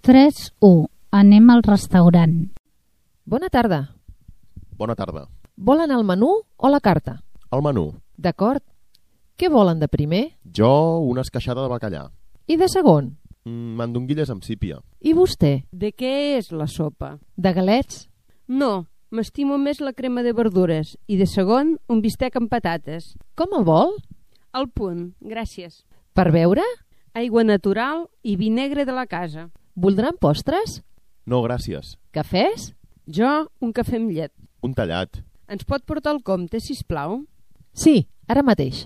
3, 1. Anem al restaurant. Bona tarda. Bona tarda. Volen el menú o la carta? El menú. D'acord. Què volen de primer? Jo, una esqueixada de bacallà. I de segon? Mandonguilles amb sípia. I vostè? De què és la sopa? De galets? No, m'estimo més la crema de verdures i de segon un bistec amb patates. Com el vol? Al punt, gràcies. Per beure? Aigua natural i vi negre de la casa. Voldran postres? No, gràcies. Cafès? Jo, un cafè amb llet. Un tallat. Ens pot portar el compte, sisplau? Sí, ara mateix.